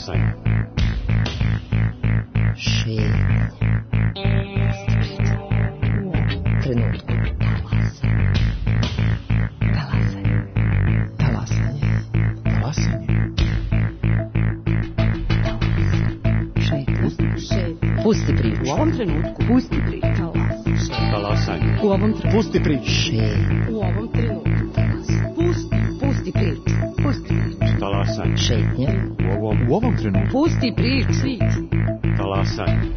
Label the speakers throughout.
Speaker 1: Talasaj.
Speaker 2: Šetnja. Trenutku.
Speaker 3: Pusti priču.
Speaker 2: U ovom trenutku.
Speaker 3: Pusti priču.
Speaker 1: Talasanje.
Speaker 3: U ovom trenutku.
Speaker 1: Pusti priču.
Speaker 2: U ovom trenutku.
Speaker 3: Pusti priču. Pusti priču.
Speaker 1: Talasanje.
Speaker 2: Šetnja.
Speaker 1: U ovom trenutku.
Speaker 3: Pusti priču.
Speaker 1: Talasanje.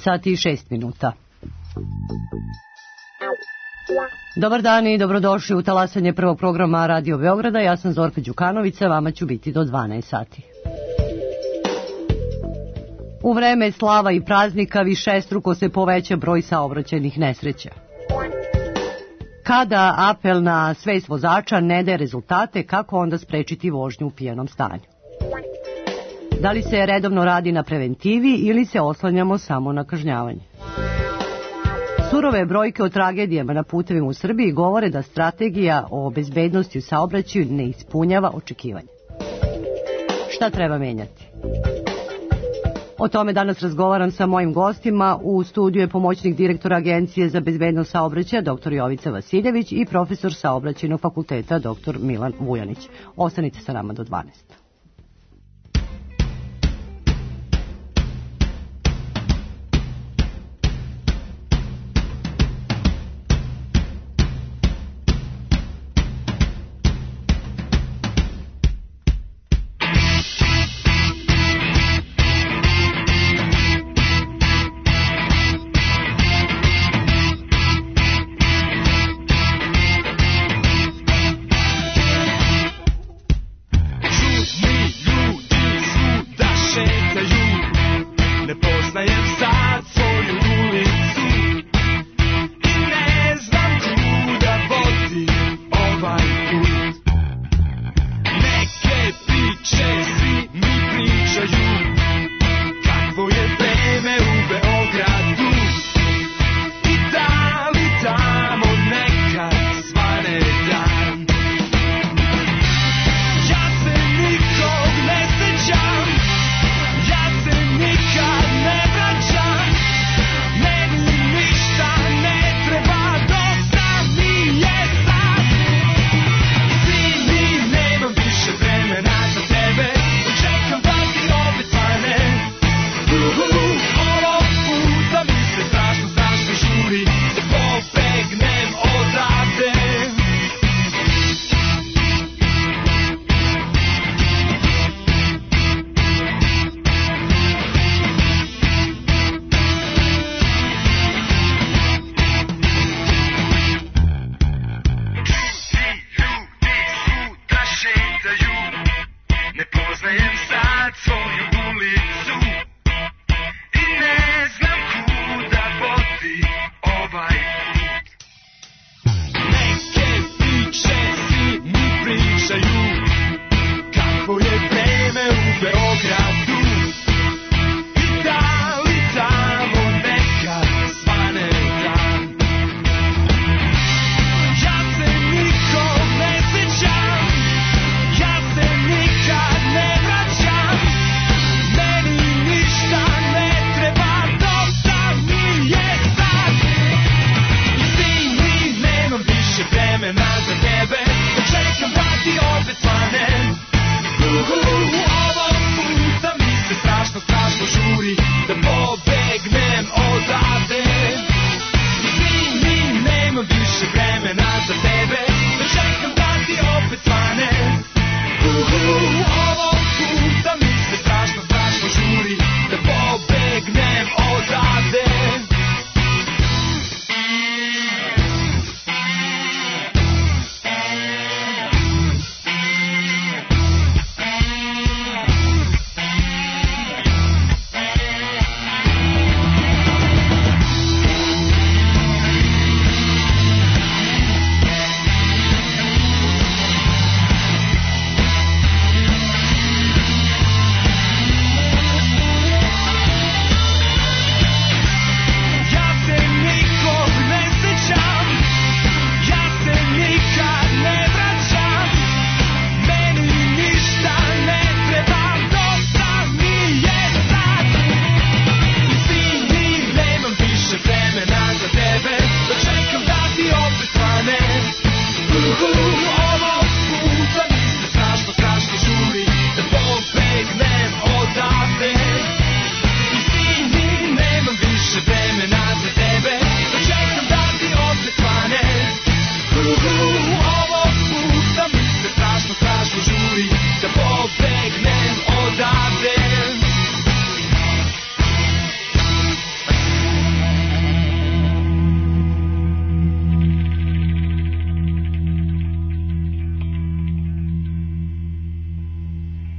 Speaker 3: Sati i 6 minuta. Dobar dan i dobrodošli u talasanje prvog programa Radio Beograda. Ja sam Zorka Đukanovića, vama ću biti do 12 sati. U vreme slava i praznika višestruko se poveća broj saobraćajnih nesreća. Kada apel na svest vozača ne daje rezultate, kako onda sprečiti vožnju u pijanom stanju? Da li se redovno radi na preventivi ili se oslanjamo samo na kažnjavanje? Surove brojke o tragedijama na putevima u Srbiji govore da strategija o bezbednosti u saobraćaju ne ispunjava očekivanja. Šta treba menjati? O tome danas razgovaram sa mojim gostima. U studiju je pomoćnik direktora Agencije za bezbednost saobraćaja dr. Jovica Vasiljević i profesor Saobraćajnog fakulteta dr. Milan Vujanić. Ostanite sa nama do 12.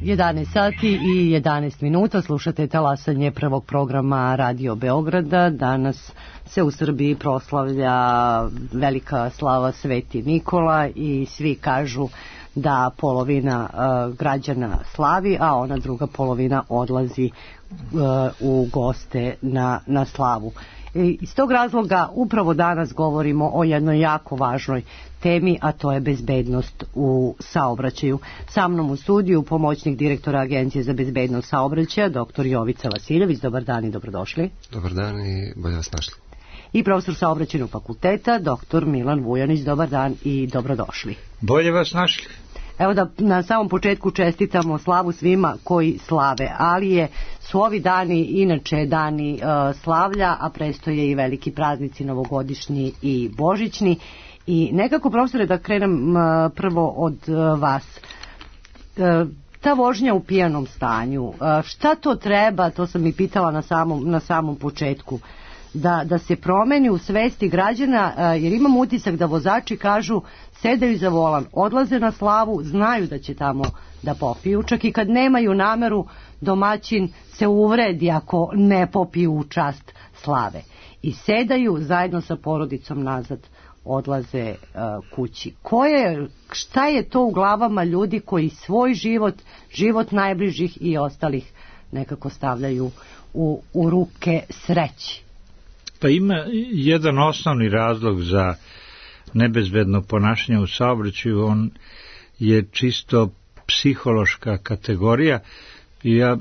Speaker 3: 11 sati i 11 minuta, slušate talasanje prvog programa Radio Beograda. Danas se u Srbiji proslavlja velika slava Sveti Nikola i svi kažu da polovina građana slavi, a ona druga polovina odlazi u goste na slavu. Iz tog razloga upravo danas govorimo o jednoj jako važnoj temi, a to je bezbednost u saobraćaju. Sa mnom u studiju pomoćnik direktora Agencije za bezbednost saobraćaja, dr. Jovica Vasiljević. Dobar dan i dobrodošli.
Speaker 4: Dobar dan i bolje vas našli.
Speaker 3: I profesor saobraćajnog fakulteta, dr. Milan Vujanić. Dobar dan i dobrodošli.
Speaker 5: Bolje vas našli.
Speaker 3: Evo da na samom početku čestitamo slavu svima koji slave, ali su ovi dani inače dani slavlja, a prestoje i veliki praznici novogodišnji i božićni. I nekako, profesore, da krenem prvo od vas. Ta vožnja u pijanom stanju, šta to treba, to sam i pitala na samom početku, da se promeni u svesti građana, jer imam utisak da vozači kažu, sedaju za volan, odlaze na slavu, znaju da će tamo da popiju, čak i kad nemaju nameru, domaćin se uvredi ako ne popiju u čast slave. I sedaju zajedno sa porodicom nazad, odlaze kući. Šta je to u glavama ljudi koji svoj život najbližih i ostalih nekako stavljaju u ruke sreći?
Speaker 5: Pa ima jedan osnovni razlog za nebezbedno ponašanje u saobraćaju, on je čisto psihološka kategorija i ja,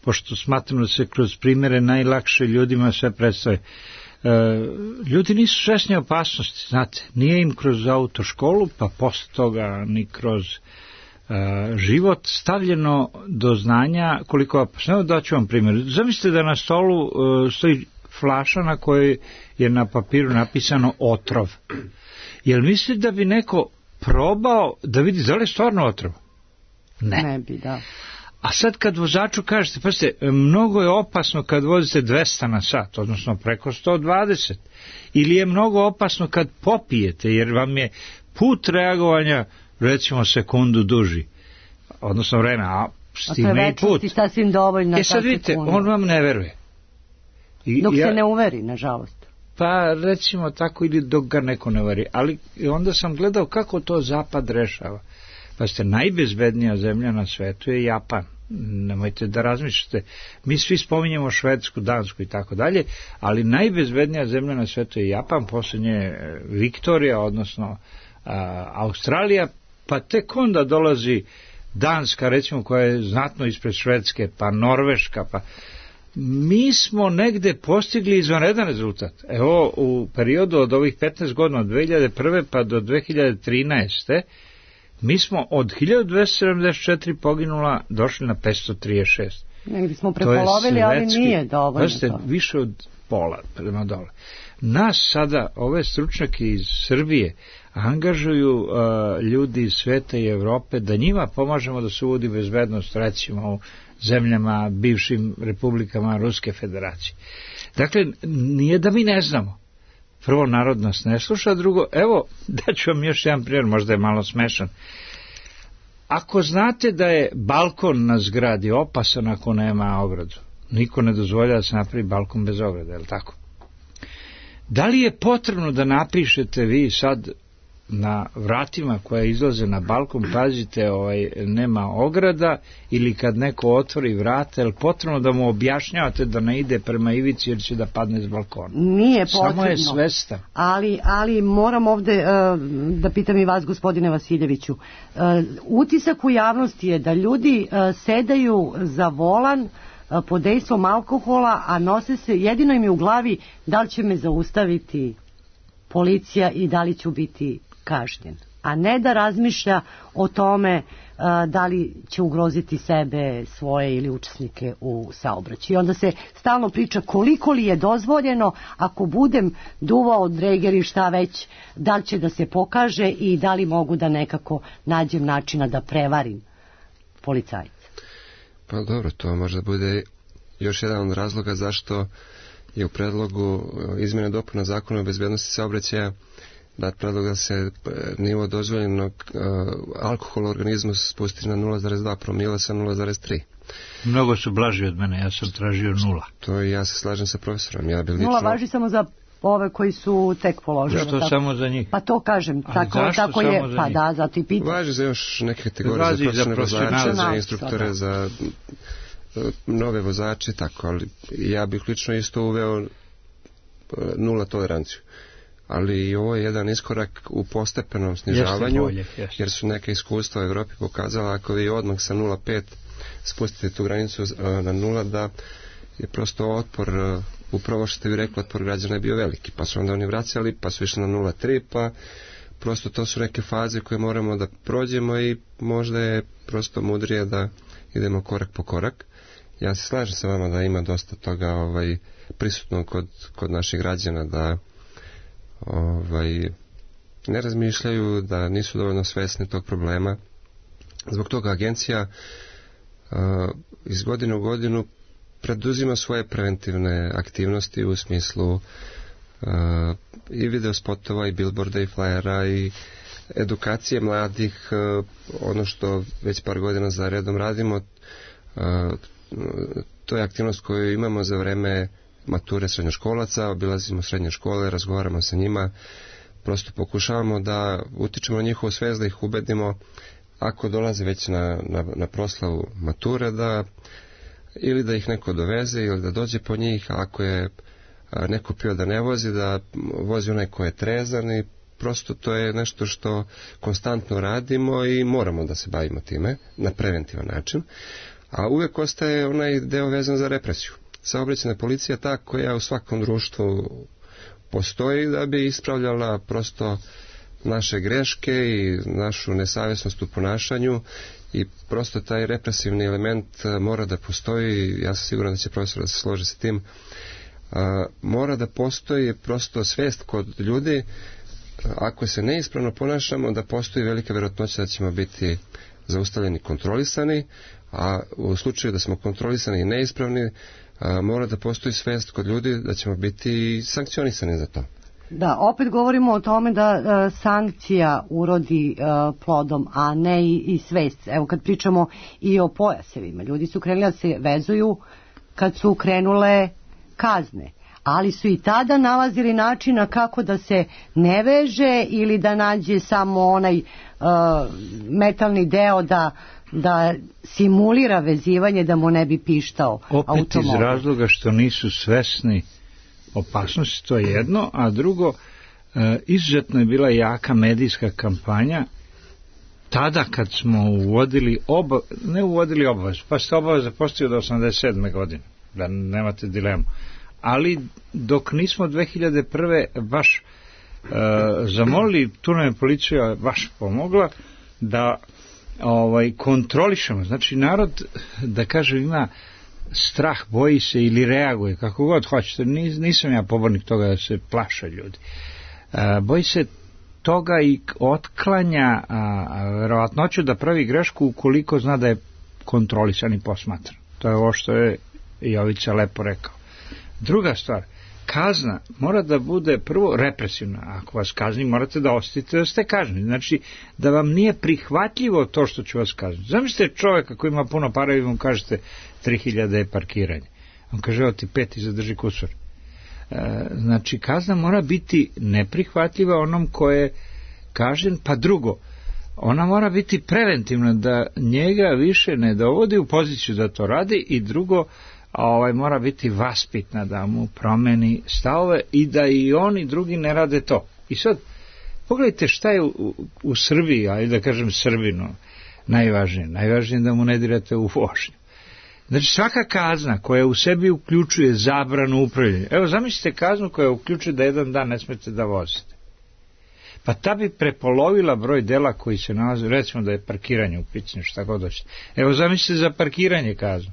Speaker 5: pošto smatram da se kroz primjere najlakše ljudima sve predstave, ljudi nisu svesni opasnosti, znate, nije im kroz autoškolu, pa posle toga ni kroz život stavljeno do znanja koliko je opasno. Evo daću vam primjer. Zamislite da na stolu stoji flaša na kojoj je na papiru napisano otrov. Jel mislite da bi neko probao da vidi da li je stvarno otrov? Ne
Speaker 3: bi, da.
Speaker 5: A sad kad vozaču kažete, pazite, mnogo je opasno kad vozite 200 na sat, odnosno preko 120, ili je mnogo opasno kad popijete, jer vam je put reagovanja, recimo, sekundu duži, odnosno vreme, a stigne i put.
Speaker 3: Sasvim dovoljno.
Speaker 5: Sad vidite, on vam ne veruje.
Speaker 3: Dok se ne uveri, nažalost.
Speaker 5: Pa recimo tako, ili dok ga neko ne uveri. Ali onda sam gledao kako to Zapad rešava. Pa ste, najbezbednija zemlja na svetu je Japan. Nemojte da razmišljate. Mi svi spominjemo Švedsku, Dansku i tako dalje, ali najbezbednija zemlja na svetu je Japan, posljednje Viktorija, odnosno Australija, pa tek onda dolazi Danska, recimo, koja je znatno ispred Švedske, pa Norveška, pa mi smo negde postigli izvanredan rezultat. Evo, u periodu od ovih 15 godina, od 2001. pa do 2013. mi smo od 1274 poginula došli na 536.
Speaker 3: Negdje smo prepolovili, ali nije dovoljno.
Speaker 5: Pazite, više od pola prema dole. Nas sada, ove stručnjake iz Srbije, angažuju ljudi iz sveta i Evrope da njima pomažemo da se uvodi bezbednost, recimo u zemljama, bivšim republikama Ruske federacije. Dakle, nije da mi ne znamo. Prvo, narod nas ne sluša, drugo, evo, daću vam još jedan primjer, možda je malo smešan. Ako znate da je balkon na zgradi opasan ako nema ogradu, niko ne dozvolja da se napravi balkon bez ograde, je li tako? Da li je potrebno da napišete vi sad na vratima koja izlaze na balkon, pazite, nema ograda, ili kad neko otvori vrata, je li potrebno da mu objašnjavate da ne ide prema ivici jer će da padne s balkona?
Speaker 3: Nije potrebno.
Speaker 5: Samo je svestan.
Speaker 3: Ali moram ovde da pitam i vas, gospodine Vasiljeviću. Utisak u javnosti je da ljudi sedaju za volan pod dejstvom alkohola, a nose se, jedino im je u glavi da li će me zaustaviti policija i da li ću biti kažnjen, a ne da razmišlja o tome da li će ugroziti sebe, svoje ili učesnike u saobraćaju. I onda se stalno priča koliko li je dozvoljeno, ako budem duvao dreger i šta već, da li će da se pokaže i da li mogu da nekako nađem načina da prevarim policajca.
Speaker 4: Pa dobro, to možda bude još jedan od razloga zašto je u predlogu izmjena dopuna zakona o bezbednosti saobraćaja dat predlog da se nivo dozvoljenog alkohola u organizmu spusti na 0,2 promila sa 0,3.
Speaker 5: Mnogo su blaži od mene, ja sam tražio 0.
Speaker 4: To i ja se slažem sa profesorom. Ja bi lično...
Speaker 3: 0 važi samo za ove koji su tek položili.
Speaker 5: Što tako? Samo za njih?
Speaker 3: Pa to kažem, tako je, pa da, zato i pitam.
Speaker 4: Važi za još neke kategorije, za profesionalne vozače, za instruktore, za nove vozače, tako, ali ja bih lično isto uveo 0 toleranciju. Ali i ovo je jedan iskorak u postepenom snižavanju, jer su neke iskustva u Evropi pokazala, ako vi odmah sa 0,5 spustite tu granicu na 0, da je prosto otpor, upravo što ste vi rekli, otpor građana je bio veliki, pa su onda oni vraćali, pa su išli na 0,3, pa prosto to su neke faze koje moramo da prođemo i možda je prosto mudrije da idemo korak po korak. Ja se slažem sa vama da ima dosta toga prisutno kod naših građana, da ne razmišljaju, da nisu dovoljno svesni tog problema. Zbog toga agencija iz godine u godinu preduzima svoje preventivne aktivnosti u smislu i video spotova i billboarda i flyera i edukacije mladih, ono što već par godina za redom radimo, to je aktivnost koju imamo za vreme mature srednjoškolaca, obilazimo srednje škole, razgovaramo sa njima, prosto pokušavamo da utičemo na njihovu svest, da ih ubedimo ako dolaze već na proslavu mature, da ili da ih neko doveze ili da dođe po njih, a ako je neko pio da ne vozi, da vozi onaj ko je trezan, i prosto to je nešto što konstantno radimo i moramo da se bavimo time na preventivan način, a uvek ostaje onaj deo vezan za represiju. Saobraćajna policija ta koja u svakom društvu postoji da bi ispravljala prosto naše greške i našu nesavjesnost u ponašanju, i prosto taj represivni element mora da postoji. Ja sam siguran da će profesor da se složi sa tim. Mora da postoji prosto svest kod ljudi, ako se neispravno ponašamo, da postoji velika vjerojatnoća da ćemo biti zaustavljeni, kontrolisani, a u slučaju da smo kontrolisani i neispravni, mora da postoji svest kod ljudi da ćemo biti sankcionisani za to.
Speaker 3: Da, opet govorimo o tome da sankcija urodi plodom, a ne i svest. Evo kad pričamo i o pojasevima, ljudi su krenuli da se vezuju kad su krenule kazne, ali su i tada nalazili načina kako da se ne veže ili da nađe samo onaj metalni deo da simulira vezivanje, da mu ne bi pištao automobil.
Speaker 5: Opet iz razloga što nisu svesni opasnosti, to je jedno, a drugo, izuzetno je bila jaka medijska kampanja tada kad smo uvodili obavezu, pa ste obaveza postoji od 87. godine, da nemate dilemu, ali dok nismo 2001. baš zamolili, tu nam je policija baš pomogla da kontrolišemo, znači narod, da kažem, ima strah, boji se ili reaguje, kako god hoćete, nisam ja pobornik toga da se plaše ljudi. Boji se toga i otklanja verovatnoću da pravi grešku ukoliko zna da je kontrolisan i posmatran. To je ovo što je Jovica lepo rekao. Druga stvar, kazna mora da bude prvo represivna. Ako vas kazni, morate da osjetite da ste kažnjeni. Znači, da vam nije prihvatljivo to što ću vas kazniti. Zamislite čovjeka koji ima puno para i vam kažete 3000 je parkiranje. On kaže, evo ti 5 i zadrži kusur. Znači, kazna mora biti neprihvatljiva onom ko je kažen, pa drugo, ona mora biti preventivna, da njega više ne dovodi u poziciju da to radi, i drugo, mora biti vaspitna, da mu promeni stavove i da i oni drugi ne rade to. I sad, pogledajte šta je u Srbiji, ali da kažem Srbinu, najvažnije. Najvažnije je da mu ne dirate u vožnju. Znači, svaka kazna koja u sebi uključuje zabranu upravljanja. Evo, zamislite kaznu koja uključuje da jedan dan ne smete da vozite. Pa ta bi prepolovila broj dela koji se nalaze, recimo da je parkiranje u pitanju, šta god hoćete. Evo, zamislite za parkiranje kaznu.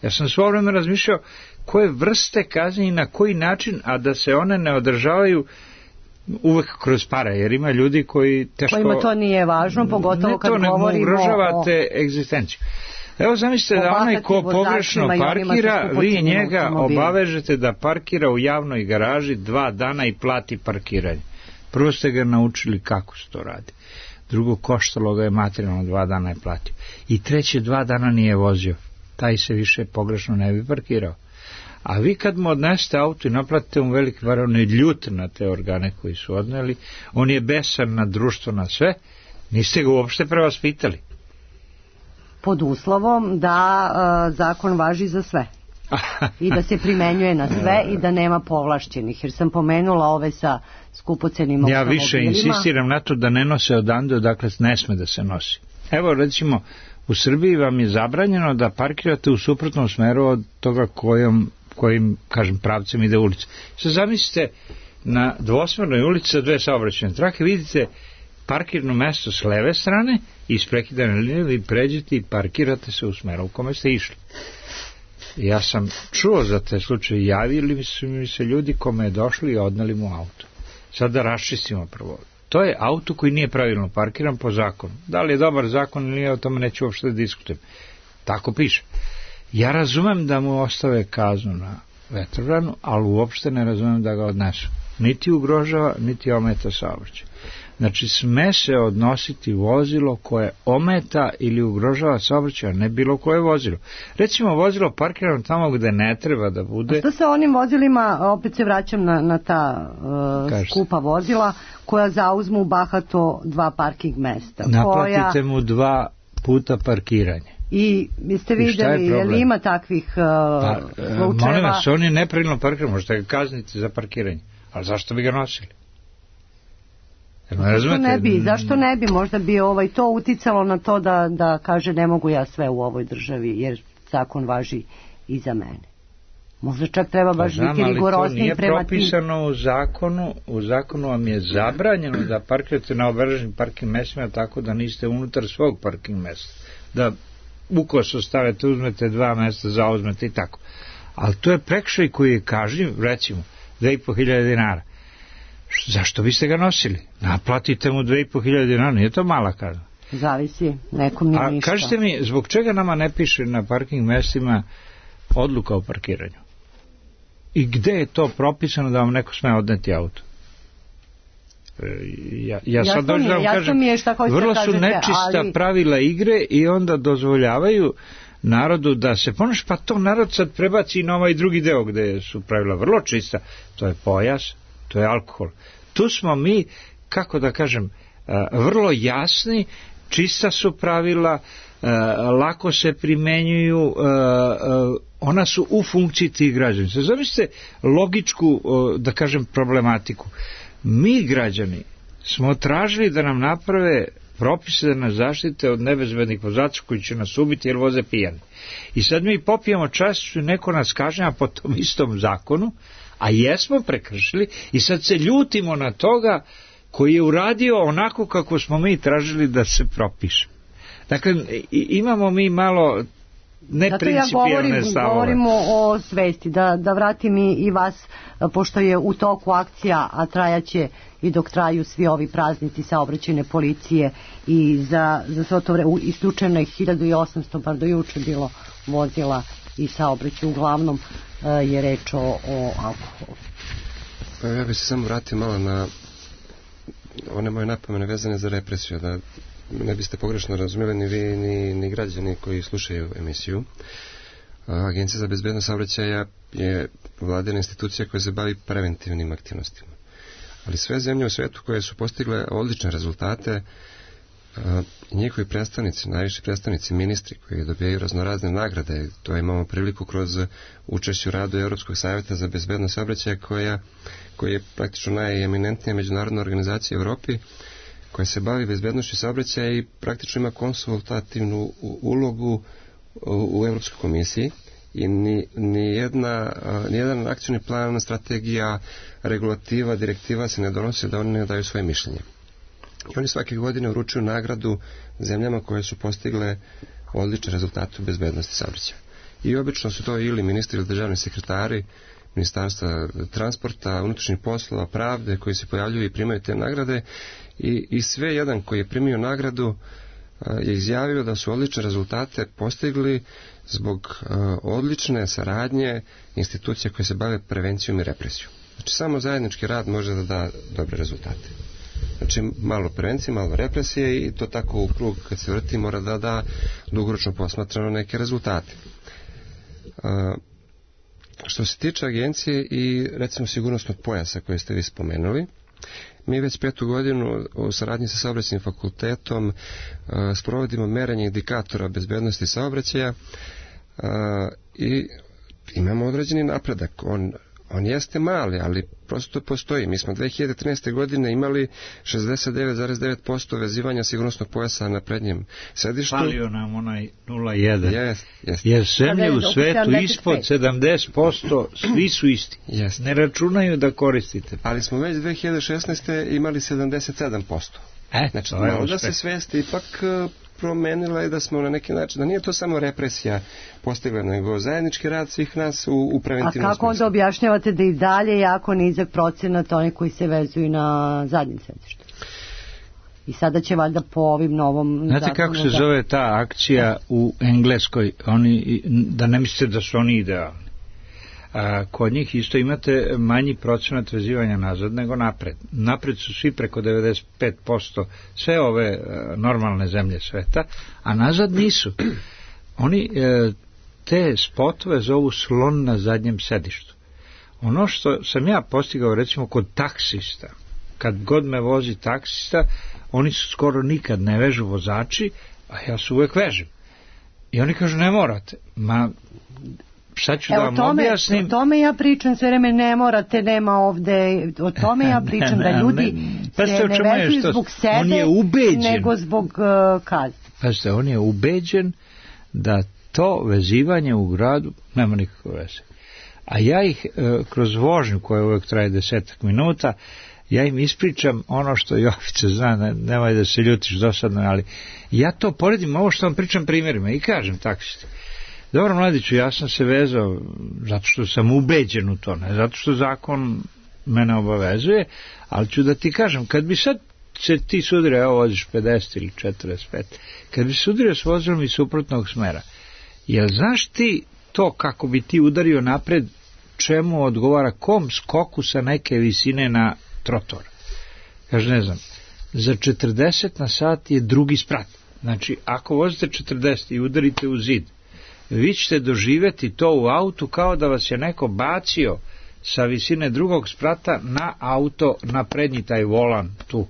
Speaker 5: Ja sam svo vreme razmišljao koje vrste kazni i na koji način, a da se one ne održavaju uvek kroz pare, jer ima ljudi koji teško... Kojima
Speaker 3: to nije važno, pogotovo kad govorimo... Ne, to ne
Speaker 5: ugrožavate egzistenciju. Evo zamislite da onaj ko pogrešno parkira, vi njega obavežete da parkira u javnoj garaži 2 dana i plati parkiranje. Prvo ste ga naučili kako se to radi. Drugo, koštalo ga je materijalno, 2 dana je platio. I treće, 2 dana nije vozio. Taj se više pogrešno ne bi parkirao. A vi kad mu odnesete auto i naplatite mu veliki var, on je ljut na te organe koji su odneli, on je besan na društvo, na sve, niste ga uopšte prevaspitali.
Speaker 3: Pod uslovom da zakon važi za sve. I da se primenjuje na sve i da nema povlašćenih. Jer sam pomenula ove sa skupocenim automobilima.
Speaker 5: Ja više insistiram na to da ne nose odande, odakle ne sme da se nosi. Evo, recimo, u Srbiji vam je zabranjeno da parkirate u suprotnom smeru od toga kojim, kažem, pravcem ide ulica. Sad zamislite, na dvosmernoj ulici sa 2 saobraćajne trake vidite parkirno mesto s leve strane i iz prekidane linije vi pređete i parkirate se u smeru u kome ste išli. Ja sam čuo za te slučaje, javili su mi se ljudi kome je došli i odneli mu auto. Sad da raščistimo prvo. To je auto koji nije pravilno parkiran po zakonu. Da li je dobar zakon ili nije, o tome neću uopšte da diskutujem. Tako piše. Ja razumem da mu ostave kaznu na vetrobranu, ali uopšte ne razumem da ga odnesu. Niti ugrožava, niti ometa saobraćaj. Znači, sme se odnositi vozilo koje ometa ili ugrožava saobraćaj, a ne bilo koje vozilo. Recimo, vozilo parkirano tamo gde ne treba da bude. A
Speaker 3: što sa onim vozilima, opet se vraćam na ta skupa vozila, koja zauzmu bahato 2 parking mesta.
Speaker 5: Naplatite mu 2 puta parkiranje.
Speaker 3: I ste vidjeli, je li ima takvih slučajeva?
Speaker 5: Molim vas, on je nepravilno parkiran, možete ga kazniti za parkiranje. Ali zašto bi ga nosili?
Speaker 3: Zašto ne bi? Možda bi to uticalo na to da kaže ne mogu ja sve u ovoj državi, jer zakon važi i za mene. Možda čak treba baš biti rigorozniji prema tim.
Speaker 5: To nije propisano u zakonu. U zakonu vam je zabranjeno da parkirate na obeleženim parking mestima tako da niste unutar svog parking mesta. Da ukoso stavite, uzmete 2 mesta, zauzmete i tako. Ali to je prekršaj koji je kažnjiv, recimo, 2.500 dinara. Zašto biste ga nosili? Naplatite mu 2.500 dinara, nije to mala kazna.
Speaker 3: Zavisi, nekom nije ništa.
Speaker 5: A kažite mi, zbog čega nama ne piše na parking mestima odluka o parkiranju? I gde je to propisano da vam neko sme odneti auto? Ja sad dođu da vam kažem, vrlo su nečista pravila igre i onda dozvoljavaju narodu da se ponaša, pa to narod sad prebaci na ovaj drugi deo gde su pravila vrlo čista. To je pojas, to je alkohol. Tu smo mi, kako da kažem, vrlo jasni, čista su pravila, lako se primenjuju, ona su u funkciji tih građana. Zamislite logičku, da kažem, problematiku. Mi, građani, smo tražili da nam naprave propise da nas zaštite od nebezbednih vozača koji će nas ubiti jer voze pijani. I sad mi popijemo čast i neko nas kažnjava po tom istom zakonu, a jesmo prekršili i sad se ljutimo na toga koji je uradio onako kako smo mi tražili da se propiše. Dakle, imamo mi malo neprincipijalne stavove.
Speaker 3: Zato ja govorimo o svesti, da vratim i vas, pošto je u toku akcija, a trajaće i dok traju svi ovi praznici saobraćajne policije i za sve to vreme, isključeno je 1800, bar do juče bilo vozila i saobraćaj, uglavnom je reč o alkoholu.
Speaker 4: Pa ja bih se samo vratio malo na one moje napomene vezane za represiju, da ne biste pogrešno razumjeli ni vi ni građani koji slušaju emisiju. Agencija za bezbednost saobraćaja je vladina institucija koja se bavi preventivnim aktivnostima. Ali sve zemlje u svetu koje su postigle odlične rezultate, njihovi predstavnici, najviši predstavnici, ministri koji dobijaju raznorazne nagrade, to imamo priliku kroz učešće u radu Europskog savjeta za bezbednost saobraćaja koji je praktično najeminentnija međunarodna organizacija u Evropi koja se bavi bezbednošću saobraćaja i praktično ima konsultativnu ulogu u Europskoj komisiji i nijedan akcioni plan, strategija, regulativa, direktiva se ne donosi da oni ne daju svoje mišljenje. I oni svake godine uručuju nagradu zemljama koje su postigle odlične rezultate u bezbednosti saobraćaja. I obično su to ili ministri ili državni sekretari Ministarstva transporta, unutrašnjih poslova, pravde koji se pojavljuju i primaju te nagrade i sve jedan koji je primio nagradu je izjavio da su odlične rezultate postigli zbog odlične saradnje institucija koje se bave prevencijom i represijom. Znači samo zajednički rad može da da dobre rezultate. Znači malo prevencije, malo represije i to tako u krug kad se vrti mora da da dugoročno posmatrano neke rezultate. Što se tiče agencije i recimo sigurnosnog pojasa koje ste vi spomenuli, mi već 5. godinu u saradnji sa Saobraćajnim fakultetom sprovodimo merenje indikatora bezbednosti saobraćaja i imamo određeni napredak. On jeste mali, ali prosto postoji. Mi smo 2013. godine imali 69,9% vezivanja sigurnosnog pojasa na prednjem sedištu.
Speaker 5: Falio nam onaj 0,1.
Speaker 4: Jest.
Speaker 5: Jer zemlje u svetu ispod 70% svi su isti.
Speaker 4: Jest.
Speaker 5: Ne računaju da koristite.
Speaker 4: Ali smo već 2016. imali 77%. Znači, malo da se svest ipak promenila je da smo na neki način, da nije to samo represija postigla, nego zajednički rad svih nas u preventivnom smislu.
Speaker 3: A kako onda objašnjavate da i dalje jako nizak procenat oni koji se vezuju na zadnjem sedištu? I sada će valjda po ovim novom...
Speaker 5: Znate kako se zove ta akcija u Engleskoj? Da ne mislite da su oni idealni. Kod njih isto imate manji procenat vezivanja nazad nego napred. Napred su svi preko 95%, sve ove normalne zemlje sveta, a nazad nisu. Oni te spotove zovu slon na zadnjem sedištu. Ono što sam ja postigao recimo kod taksista, kad god me vozi taksista, oni su skoro nikad ne vežu vozači, a ja se uvek vežem. I oni kažu ne morate. Sad ću da vam objasnim.
Speaker 3: O tome ja pričam sve vreme, ne morate, nema ovde, o tome ja pričam da ljudi se ne vezuju zbog sebe, nego zbog kazne.
Speaker 5: Pazite, on je ubeđen da to vezivanje u gradu nema nikakve veze. A ja ih kroz vožnju koja uvek traje 10 minuta, ja im ispričam ono što Jovica zna, nemoj da se ljutiš dosadno, ali ja to poredim, ovo što vam pričam primjerima i kažem taksisti. Dobro, mladiću, ja sam se vezao zato što sam ubeđen u to, ne zato što zakon mene obavezuje, ali ću da ti kažem, kad bi sad se ti sudirio, evo voziš 50 ili 45, kad bi sudirio s vozilom iz suprotnog smera, jel znaš ti to kako bi ti udario napred, čemu odgovara, kom skoku sa neke visine na trotor? Kaže, ne znam, za 40 na sat je drugi sprat. Znači, ako vozite 40 i udarite u zid, vi ćete doživjeti to u autu kao da vas je neko bacio sa visine drugog sprata na auto, na prednji taj volan tu.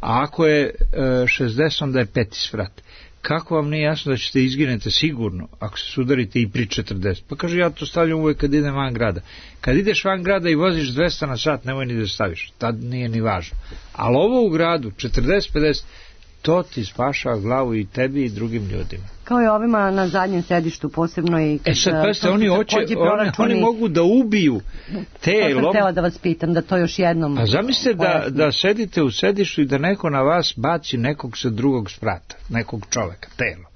Speaker 5: A ako je 60, onda je 5. sprat. Kako vam nije jasno da ćete izginete sigurno ako se sudarite i pri 40? Pa kaže, ja to stavljam uvek kad idem van grada. Kad ideš van grada i voziš 200 na sat, nemoj ni da staviš. Tad nije ni važno. Ali ovo u gradu, 40-50, to ti spašava glavu i tebi i drugim ljudima.
Speaker 3: Kao i ovima na zadnjem sedištu, posebno i...
Speaker 5: Sad, pazite, oni mogu da ubiju te...
Speaker 3: To sam htjela da vas pitam, da to još jednom...
Speaker 5: A zamislite da sedite u sedištu i da neko na vas baci nekog sa drugog sprata, nekog čoveka, telo.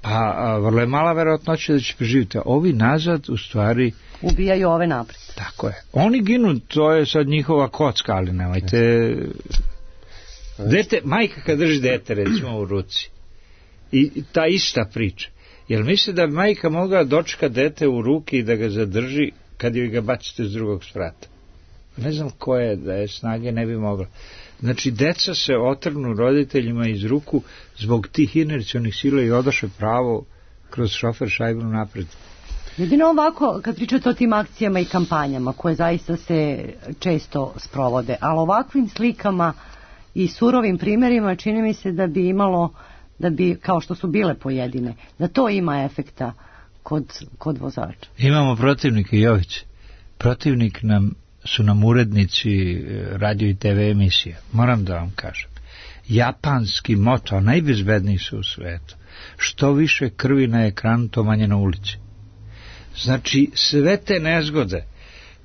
Speaker 5: Pa vrlo je mala verovatnoća da će preživjeti. Ovi nazad, u stvari...
Speaker 3: ubijaju ove napred.
Speaker 5: Tako je. Oni ginu, to je sad njihova kocka, ali nemojte... majka kad drži dete recimo u ruci i ta ista priča, jer misli da bi majka mogla dočeka dete u ruki i da ga zadrži kad joj ga bacite s drugog sprata? Ne znam koje da je snage ne bi mogla. Znači deca se otrgnu roditeljima iz ruku zbog tih inercionih sila i odaše pravo kroz šofer šajbnu napred.
Speaker 3: Jedino ovako, kad pričate o tim akcijama i kampanjama koje zaista se često sprovode, ali ovakvim slikama i surovim primjerima čini mi se da bi imalo, da bi, kao što su bile pojedine, da to ima efekta kod vozača.
Speaker 5: Imamo protivnike, Jović. Protivnik su nam urednici radio i TV emisija. Moram da vam kažem. Japanski moto, najbezbedniji su u svetu. Što više krvi na ekranu, to manje na ulici. Znači, sve te nezgode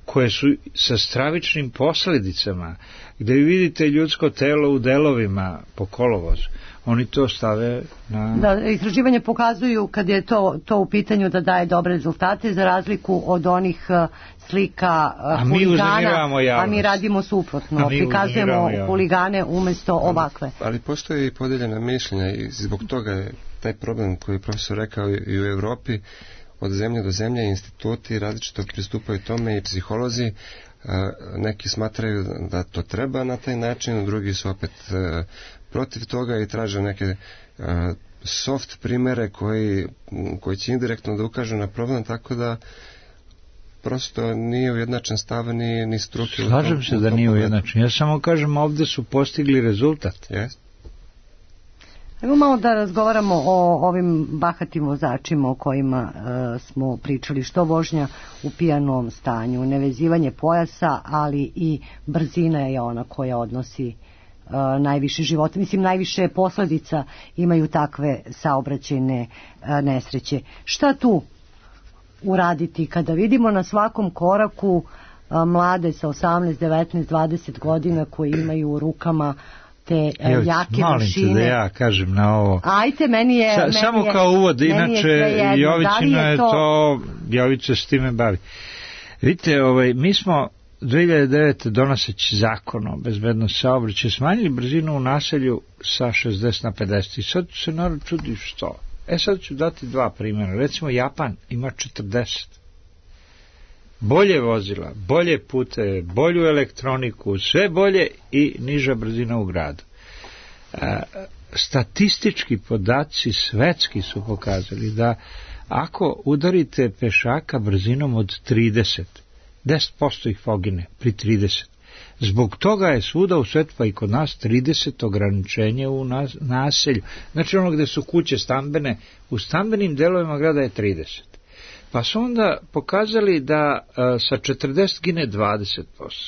Speaker 5: koje su sa stravičnim posljedicama, gdje vidite ljudsko telo u delovima po kolovozu, oni to stave na... Da,
Speaker 3: istraživanje pokazuju kad je to u pitanju da daje dobre rezultate, za razliku od onih slika huligana, a mi radimo suprotno, prikazujemo huligane umjesto ovakve.
Speaker 4: Ali postoji i podeljena mišljenja i zbog toga je taj problem koji je profesor rekao i u Evropi, od zemlje do zemlje, instituti različito pristupaju tome i psiholozi. Neki smatraju da to treba na taj način, drugi su opet protiv toga i traže neke soft primere koji će indirektno da ukažu na problem, tako da prosto nije ujednačen stav ni struke.
Speaker 5: Slažem se da nije ujednačen. Ja samo kažem, ovde su postigli rezultat.
Speaker 4: Yes.
Speaker 3: Evo malo da razgovaramo o ovim bahatim vozačima o kojima smo pričali, što vožnja u pijanom stanju, nevezivanje pojasa, ali i brzina je ona koja odnosi najviše života. Mislim, najviše posledica imaju takve saobraćajne nesreće. Šta tu uraditi kada vidimo na svakom koraku mlade sa 18, 19, 20 godina koji imaju u rukama te jake
Speaker 5: molim
Speaker 3: mašine.
Speaker 5: Molim te da ja kažem na ovo.
Speaker 3: Ajte, meni je...
Speaker 5: Samo kao uvod, inače Jovićino je to... Jovića s time bavi. Vidite, mi smo 2009. donoseći zakon o bezbednosti saobraćaja smanjili brzinu u naselju sa 60 na 50. I sad se narod čudi što. Sad ću dati dva primjera. Recimo, Japan ima 40. Bolje vozila, bolje pute, bolju elektroniku, sve bolje i niža brzina u gradu. Statistički podaci svetski su pokazali da ako udarite pešaka brzinom od 30, 10% ih pogine pri 30. Zbog toga je svuda u svetu, pa i kod nas, 30 ograničenje u naselju. Znači ono gde su kuće stambene, u stambenim delovima grada je 30. Pa su onda pokazali da sa 40 gine 20%,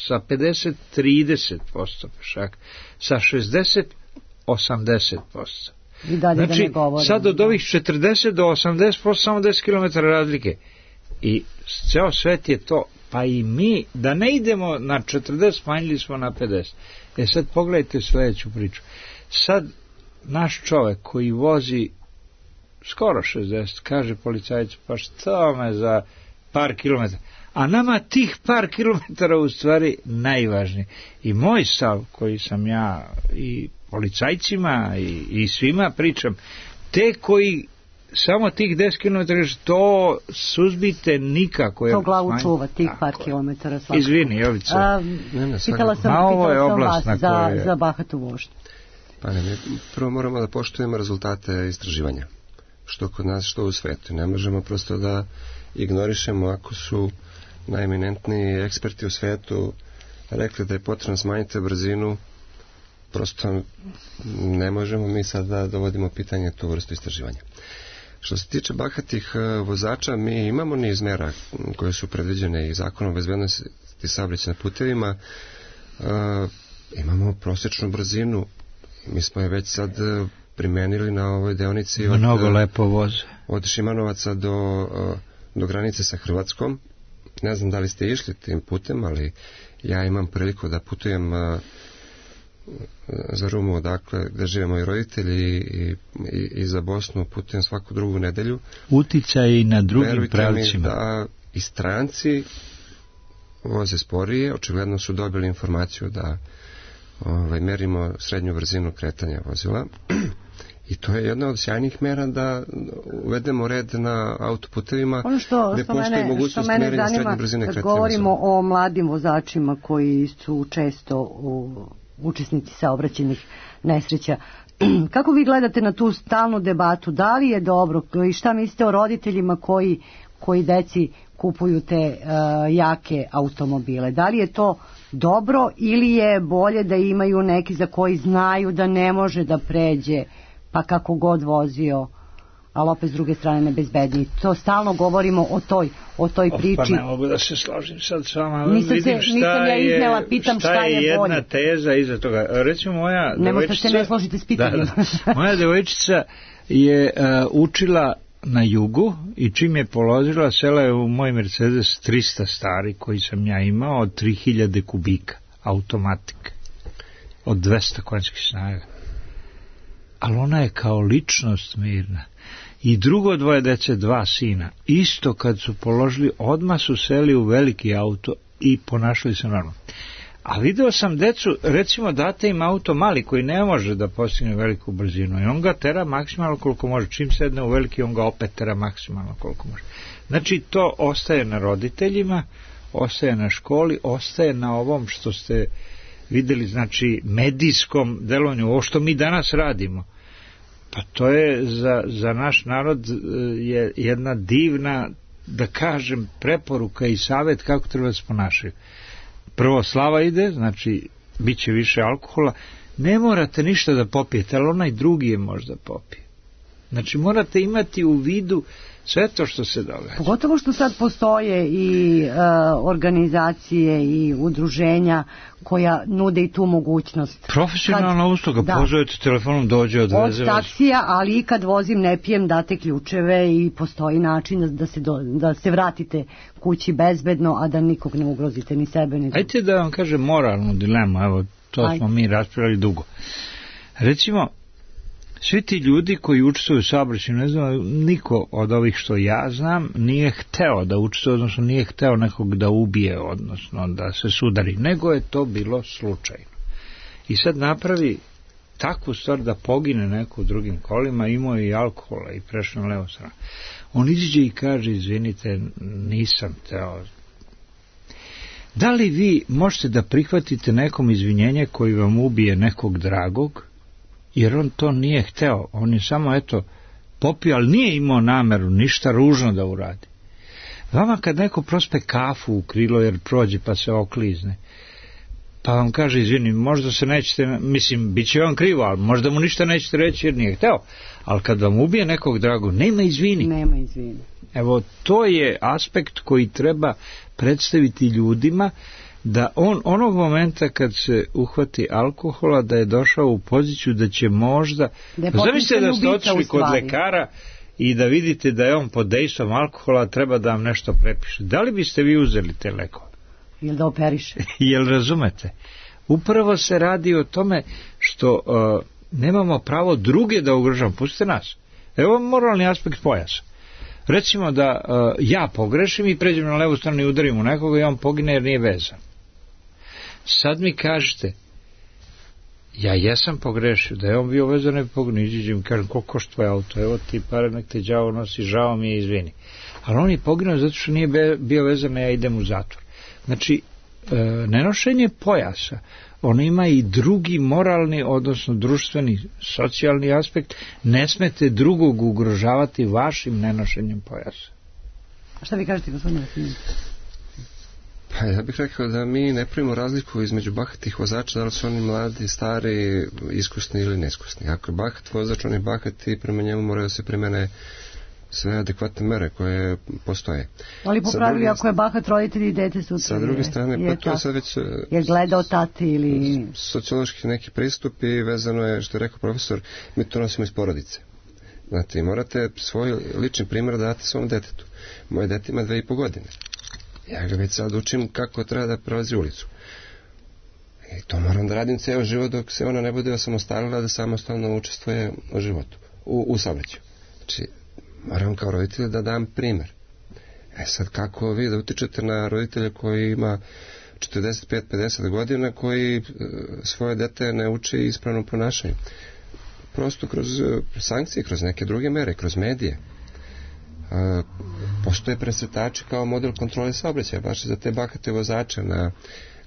Speaker 5: sa 50 30% pešaka, sa 60 80%.
Speaker 3: I dalje
Speaker 5: znači, sad od ovih 40 do 80% samo 10 km razlike. I ceo svet je to, pa i mi, da ne idemo na 40, smanjili smo na 50. Sad pogledajte sledeću priču. Sad naš čovek koji vozi skoro 60, kaže policajcu, pa što me za par kilometara? A nama tih par kilometara u stvari najvažnije. I moj stav koji sam ja i policajcima i svima pričam, te koji samo tih 10 km, to suzbite nikako.
Speaker 3: To glavu čuva, tih par kilometara svakako.
Speaker 5: Izvini, Jovica.
Speaker 3: Pitala sam vas za bahatu vožnju.
Speaker 4: Pa ne, prvo moramo da poštujemo rezultate istraživanja. Što kod nas, što u svetu. Ne možemo prosto da ignorišemo ako su najeminentniji eksperti u svetu rekli da je potrebno smanjiti brzinu, prosto ne možemo mi sad da dovodimo pitanje tu vrstu istraživanja. Što se tiče bahatih vozača, mi imamo niz mera koje su predviđene i zakonom o bezbednosti saobraćaja na putevima. Imamo prosječnu brzinu, mi smo je već sad primenili na ovoj deonici
Speaker 5: mnogo lepo voze
Speaker 4: od Šimanovaca do granice sa Hrvatskom. Ne znam da li ste išli tim putem, ali ja imam priliku da putujem za Rumu, odakle gde žive moji roditelji i za Bosnu putujem svaku drugu nedelju.
Speaker 5: Uticaj i na drugim pravcima.
Speaker 4: Verujte mi da i stranci voze sporije, očigledno su dobili informaciju da merimo srednju brzinu kretanja vozila i to je jedna od sjajnih mera da uvedemo red na autoputevima gde postoji mogućnost merenja srednje brzine kretanja.
Speaker 3: Kad govorimo o mladim vozačima koji su često učesnici saobraćajnih nesreća, kako vi gledate na tu stalnu debatu, da li je dobro i šta mislite o roditeljima koji deci kupuju te jake automobile, da li je to dobro ili je bolje da imaju neki za koji znaju da ne može da pređe, pa kako god vozio, ali opet s druge strane nebezbedniji. To stalno govorimo o toj priči.
Speaker 5: Pa ne mogu da se složim sad s vama.
Speaker 3: Nisam ja iznela, pitam šta je bolje.
Speaker 5: Jedna teza iza toga. Recimo moja devojčica...
Speaker 3: Nemo se ne složite s pitanjem.
Speaker 5: Moja devojčica je učila na jugu i čim je položila, sela je u moj Mercedes 300 stari koji sam ja imao od 3000 kubika, automatik, od 200 konjskih snaga. Ali ona je kao ličnost mirna. I drugo dvoje dece, 2 sina, isto kad su položili, odmah su seli u veliki auto i ponašali se normalno. A video sam decu, recimo date im auto mali koji ne može da postigne veliku brzinu i on ga tera maksimalno koliko može. Čim sedne u veliki, on ga opet tera maksimalno koliko može. Znači, to ostaje na roditeljima, ostaje na školi, ostaje na ovom što ste videli, znači, medijskom delovanju, ovo što mi danas radimo. Pa to je za naš narod je jedna divna, da kažem, preporuka i savjet kako treba da se ponašaju. Prvo, slava ide, znači, bit će više alkohola, ne morate ništa da popijete, ali onaj drugi je možda popije. Znači, morate imati u vidu sve to što se događa.
Speaker 3: Pogotovo što sad postoje i organizacije i udruženja koja nude i tu mogućnost.
Speaker 5: Profesionalna usluga, pozovete telefonom, dođe, odveze
Speaker 3: od taksija, ali i kad vozim ne pijem, date ključeve i postoji način da se vratite kući bezbedno, a da nikog ne ugrozite, ni sebe, ni drugo.
Speaker 5: Ajte da vam kažem moralnu dilemu, evo, to smo mi raspravili dugo. Recimo, svi ti ljudi koji učestvuju u saobraćaju, ne znam, niko od ovih što ja znam nije hteo da učestvuje, odnosno nije hteo nekog da ubije, odnosno da se sudari, nego je to bilo slučajno. I sad napravi takvu stvar da pogine neko u drugim kolima, imao je i alkohola i prešao na levo stranu. On iziđe i kaže, izvinite, nisam hteo. Da li vi možete da prihvatite nekom izvinjenje koji vam ubije nekog dragog, jer on to nije hteo, on je samo, eto, popio, ali nije imao nameru ništa ružno da uradi. Vama kad neko prospe kafu u krilo jer prođe pa se oklizne, pa vam kaže, izvini, možda se nećete, mislim, bit će vam krivo, ali možda mu ništa nećete reći jer nije hteo, ali kad vam ubije nekog drago, nema izvini.
Speaker 3: Nema izvini.
Speaker 5: Evo, to je aspekt koji treba predstaviti ljudima, da on onog momenta kad se uhvati alkohola, da je došao u poziciju da će možda, zamislite da ste otišli kod lekara i da vidite da je on pod dejstvom alkohola, treba da vam nešto prepiše. Da li biste vi uzeli te lekove?
Speaker 3: Jel da operiše?
Speaker 5: Jel razumete? Upravo se radi o tome što nemamo pravo druge da ugrožavamo. Pustite nas. Evo moralni aspekt pojasa. Recimo da ja pogrešim i pređem na levu stranu i udarim u nekoga i on pogine jer nije vezan. Sad mi kažete, ja jesam pogrešio, da je on bio vezan, ne bi poginuo, iđem i kažem, koliko košta tvoj auto, evo ti pare, nek te đavo nosi, žao mi je, izvini. Ali on je poginuo zato što nije bio vezan, ja idem u zatvor. Znači, nenošenje pojasa, on ima i drugi moralni, odnosno društveni, socijalni aspekt, ne smete drugog ugrožavati vašim nenošenjem pojasa.
Speaker 3: A šta vi kažete, gospodine Vasilić?
Speaker 4: Pa ja bih rekao da mi ne pravimo razliku između bahatih vozača, da li su oni mladi, stari, iskusni ili neiskusni. Ako je bahat vozač, on je bahat i prema njemu moraju da se primene sve adekvatne mere koje postoje.
Speaker 3: Ali po pravilu, ako je bahat roditelj i dete sutra.
Speaker 4: Sa druge strane, pa to je sad već
Speaker 3: je gledao tati ili
Speaker 4: sociološki neki pristup i vezano je, što je rekao profesor, mi to nosimo iz porodice. Znate, morate svoj lični primjer da date svom detetu. Moje dete ima 2,5 godine. Ja ga već sad učim kako treba da prelazi ulicu. I to moram da radim ceo život dok se ona ne bude osamostalila da samostalno učestvuje u životu, u saobraćaju. Znači, moram kao roditelj da dam primjer. Sad kako vi da utičete na roditelja koji ima 45-50 godina, koji svoje dete ne uči ispravnom ponašanju? Prosto kroz sankcije, kroz neke druge mere, kroz medije. Postoje presretači kao model kontrole saobraćaja, baš za te bahate vozače na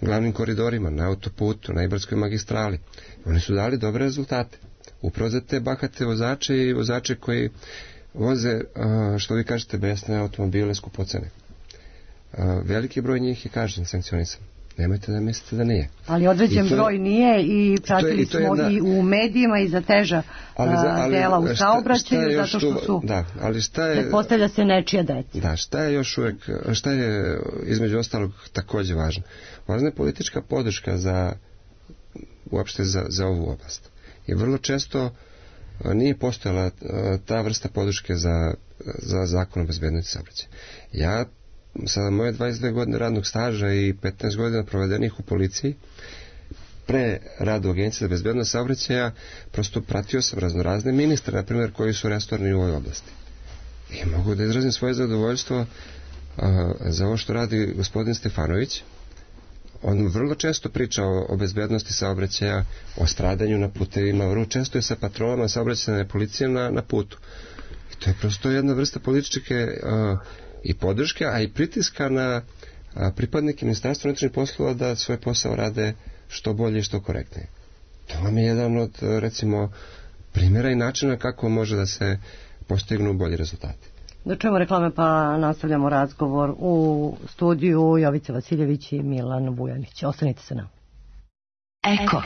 Speaker 4: glavnim koridorima, na autoputu, na Ibarskoj magistrali. Oni su dali dobre rezultate. Upravo za te bahate vozače i vozače koji voze, što vi kažete, besne automobile, skupocene. Veliki broj njih je kažnjen, sankcionisan. Nemojte da mislite da nije.
Speaker 3: Ali određen broj nije i pratili smo i u medijima i za teža dela u saobraćaju, zato što su, pretpostavlja se, nečija deca.
Speaker 4: Da, šta je još uvek, šta je između ostalog takođe važno? Važna je politička podrška uopšte za ovu oblast. I vrlo često nije postojala ta vrsta podrške za zakon o bezbednosti saobraćaja. Ja sada moje 22 godine radnog staža i 15 godina provedenih u policiji, pre rada u Agenciji za bezbednost saobraćaja, prosto pratio sam raznorazne ministre, na primjer, koji su restorni u ovoj oblasti. I mogu da izrazim svoje zadovoljstvo za ovo što radi gospodin Stefanović. on vrlo često priča o bezbednosti saobraćaja, o stradanju na putevima, vrlo često je sa patrolama saobraćajne policije na putu. I to je prosto jedna vrsta političke i podrške, a i pritiska na pripadnike Ministarstva unutrašnjih poslova da svoj posao rade što bolje i što korektnije. To vam je jedan od, recimo, primjera i načina kako može da se postignu bolji rezultati.
Speaker 3: Da čujemo reklame pa nastavljamo razgovor u studiju Jovica Vasiljević i Milan Vujanić. Ostanite sa nama.
Speaker 6: Eko.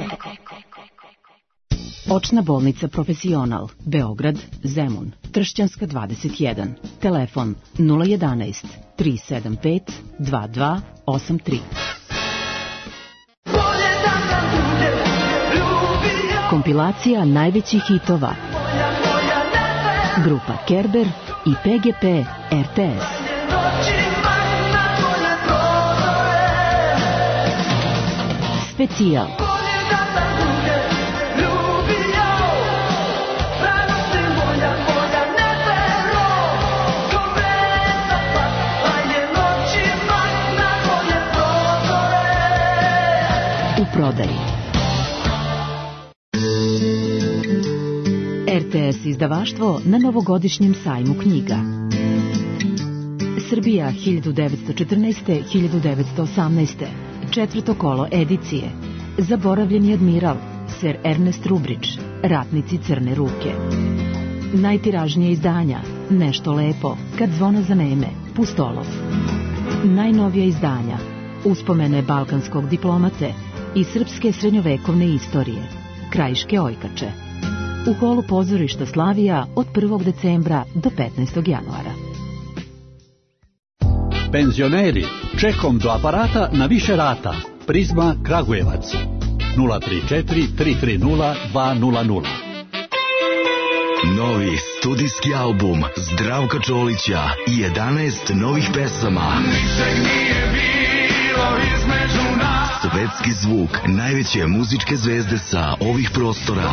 Speaker 6: Očna bolnica Profesional, Beograd, Zemun, Tršćanska 21, telefon 011 375 2283. Kompilacija najvećih hitova. Grupa Kerber i PGP RTS. Specijal. U prodaji. RTS izdavaštvo na novogodišnjem sajmu knjiga. Srbija 1914-1918. Četvrto kolo edicije. Zaboravljeni admiral, Sir Ernest Rubridge, Ratnici crne ruke. Najtiražnije izdanja, Nešto lepo, Kad zvona zaneme, Pustolov. Najnovija izdanja, Uspomene balkanskog diplomate i srpske srednjovekovne istorije, Krajiške ojkače. U holu pozorišta Slavija od 1. decembra do 15. januara.
Speaker 7: Penzioneri, čekom do aparata na više rata. Prizma Kragujevac 034 330 200.
Speaker 8: Novi studijski album Zdravka Čolića i 11 novih pesama. Svetski zvuk najveće muzičke zvezde sa ovih prostora.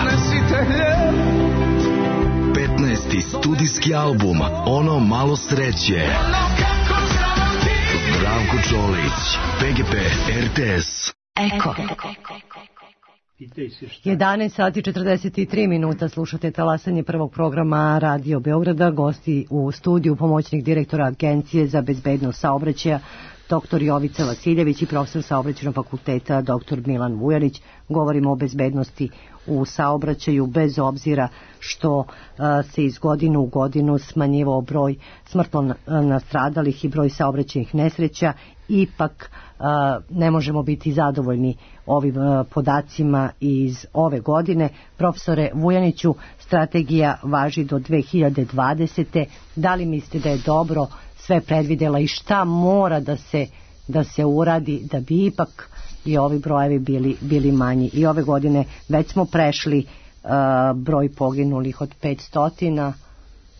Speaker 8: 15. studijski album Ono malo sreće. Zdravko Čolić, PGP RTS.
Speaker 6: Eko.
Speaker 3: 11 sati 43 minuta, slušate talasanje prvog programa Radio Beograda. Gosti u studiju pomoćnik direktora Agencije za bezbednost saobraćaja dr. Jovica Vasiljević i profesor saobraćajnog fakulteta dr. Milan Vujanić. Govorimo o bezbednosti u saobraćaju bez obzira što se iz godine u godinu smanjivao broj smrtno nastradalih i broj saobraćajnih nesreća. Ipak ne možemo biti zadovoljni ovim podacima iz ove godine. Profesore Vujaniću, strategija važi do 2020. Da li mislite da je dobro sve predvidela i šta mora da se uradi da bi ipak i ovi brojevi bili manji? I ove godine već smo prešli broj poginulih od 500,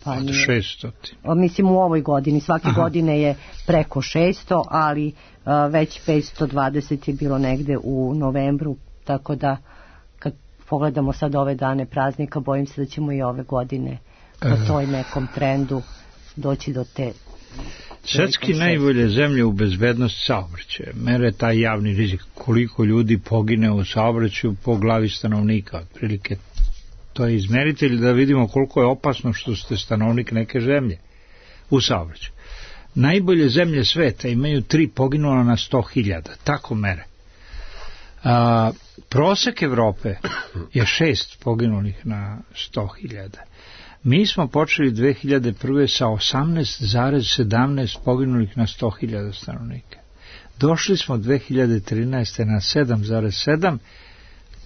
Speaker 3: pa
Speaker 5: od 600.
Speaker 3: Mislim u ovoj godini, svake godine je preko 600, ali već 520 je bilo negde u novembru, tako da kad pogledamo sad ove dane praznika, bojim se da ćemo i ove godine po toj nekom trendu doći do te.
Speaker 5: Svetski najbolje zemlje u bezbednosti saobraćaja mere taj javni rizik, koliko ljudi pogine u saobraćaju po glavi stanovnika, otprilike. To je izmeritelj da vidimo koliko je opasno što ste stanovnik neke zemlje u saobraćaju. Najbolje zemlje sveta imaju 3 poginula na 100.000, tako mere. Prosek Evrope je 6 poginulih na 100.000. Mi smo počeli 2001. sa 18,17 poginulih na 100.000 stanovnika. Došli smo 2013. na 7,7,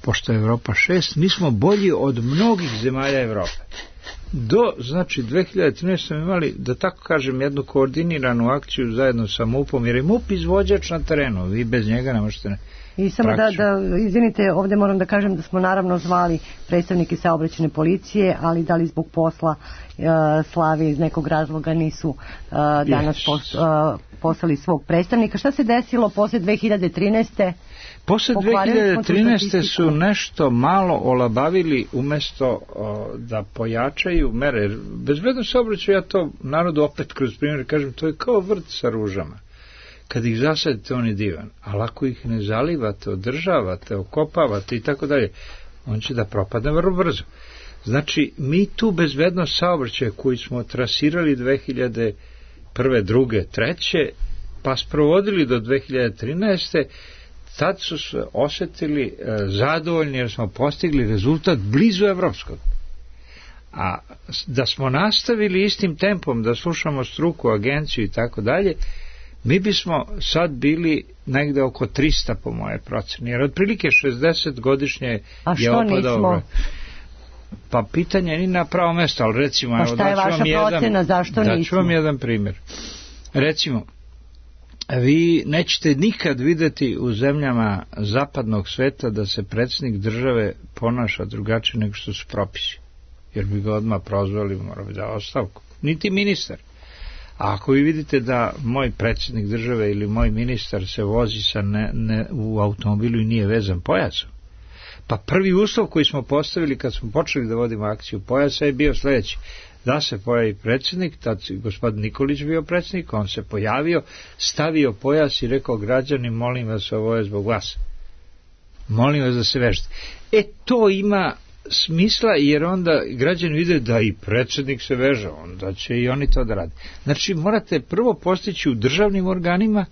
Speaker 5: pošto je Evropa 6, mi smo bolji od mnogih zemalja Evrope. Znači 2013. smo imali, da tako kažem, jednu koordiniranu akciju zajedno sa MUP-om, jer je MUP izvođač na terenu, vi bez njega ne možete
Speaker 3: I samo da, izvinite, ovdje moram da kažem da smo naravno zvali predstavnike saobraćajne policije, ali da li zbog posla Slavije iz nekog razloga nisu danas poslali svog predstavnika. Šta se desilo posle 2013.
Speaker 5: Posle 2013. su nešto malo olabavili umesto da pojačaju mere. Bezbednost saobraćaja, ja to narodu opet kroz primjer kažem, to je kao vrt sa ružama. kad ih zasadite on je divan, ali ako ih ne zalivate, održavate, okopavate i tako dalje, on će da propadne vrlo brzo. Znači, mi tu bezbednost saobraćaja koju smo trasirali 2001. 2. 3. pa sprovodili do 2013. tad su se osjetili zadovoljni jer smo postigli rezultat blizu evropskog. A da smo nastavili istim tempom, da slušamo struku, agenciju i tako dalje, mi bismo sad bili negde oko 300 po moje proceni, jer otprilike 60 godišnje je opadao. Pa pitanje ni na pravo mesto, ali recimo...
Speaker 3: Pa šta je vaša procena, zašto nismo?
Speaker 5: Daću vam jedan primjer. Recimo, vi nećete nikad videti u zemljama zapadnog sveta da se predsjednik države ponaša drugačije nego što su propisi. Jer bi ga odmah prozvali, mora bi da ostavku. Niti ministar. A ako vi vidite da moj predsjednik države ili moj ministar se vozi u automobilu i nije vezan pojasom, pa prvi uslov koji smo postavili kad smo počeli da vodimo akciju pojasa je bio sljedeći. Da se pojavi predsjednik, tad gospodin Nikolić bio predsjednik, on se pojavio, stavio pojas i rekao: građani, molim vas, ovo je zbog vas. Molim vas da se vežete. To ima smisla, jer onda građani vide da i predsjednik se veže, onda će i oni to da rade. Znači, morate prvo postići u državnim organima,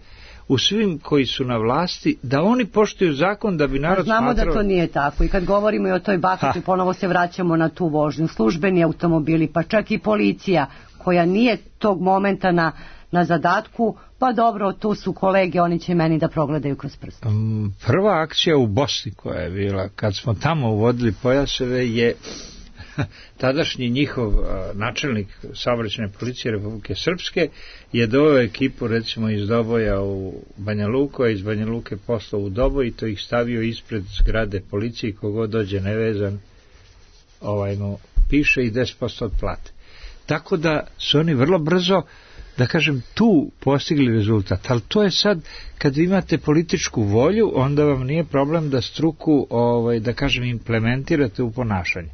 Speaker 5: u svim koji su na vlasti, da oni poštuju zakon da bi narod
Speaker 3: smatrao...
Speaker 5: Znamo
Speaker 3: da to nije tako. I kad govorimo i o toj bahati, ponovo se vraćamo na tu vožnju. Službeni automobili, pa čak i policija, koja nije tog momenta na zadatku, pa dobro, tu su kolege, oni će meni da progledaju kroz prst.
Speaker 5: Prva akcija u Bosni koja je bila, kad smo tamo uvodili pojaseve, je tadašnji njihov načelnik saobraćajne policije Republike Srpske je doveo ekipu recimo iz Doboja u Banja Luku, a iz Banja Luke poslao u Doboj i to ih stavio ispred zgrade policije, kogod dođe nevezan mu piše i 10% od plate. Tako da su oni vrlo brzo, da kažem, tu postigli rezultat, ali to je sad, kad vi imate političku volju, onda vam nije problem da struku, da kažem, implementirate u ponašanje.